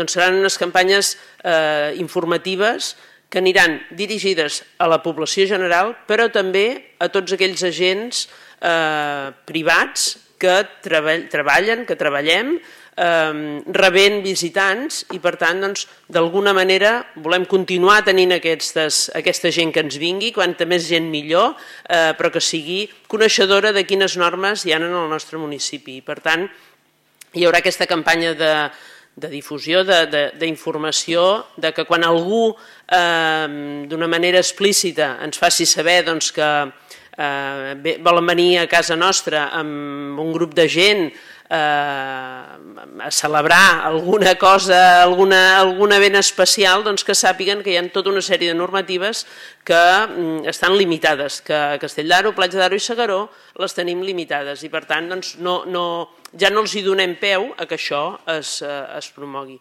seran unes campanyes informatives que aniran dirigides a la població general, però també a tots aquells agents privats que treballem, rebent visitants i, per tant, d'alguna manera volem continuar tenint aquesta gent que ens vingui, quanta més gent millor, però que sigui coneixedora de quines normes hi ha en el nostre municipi. Per tant, hi haurà aquesta campanya de difusió, d'informació, que quan algú d'una manera explícita ens faci saber que volen venir a casa nostra amb un grup de gent a celebrar alguna cosa, algun event especial, que sàpiguen que hi ha tota una sèrie de normatives que estan limitades, que a Castell d'Aro, Platja d'Aro i S'Agaró les tenim limitades i, per tant, ja no els hi donem peu a que això es promogui.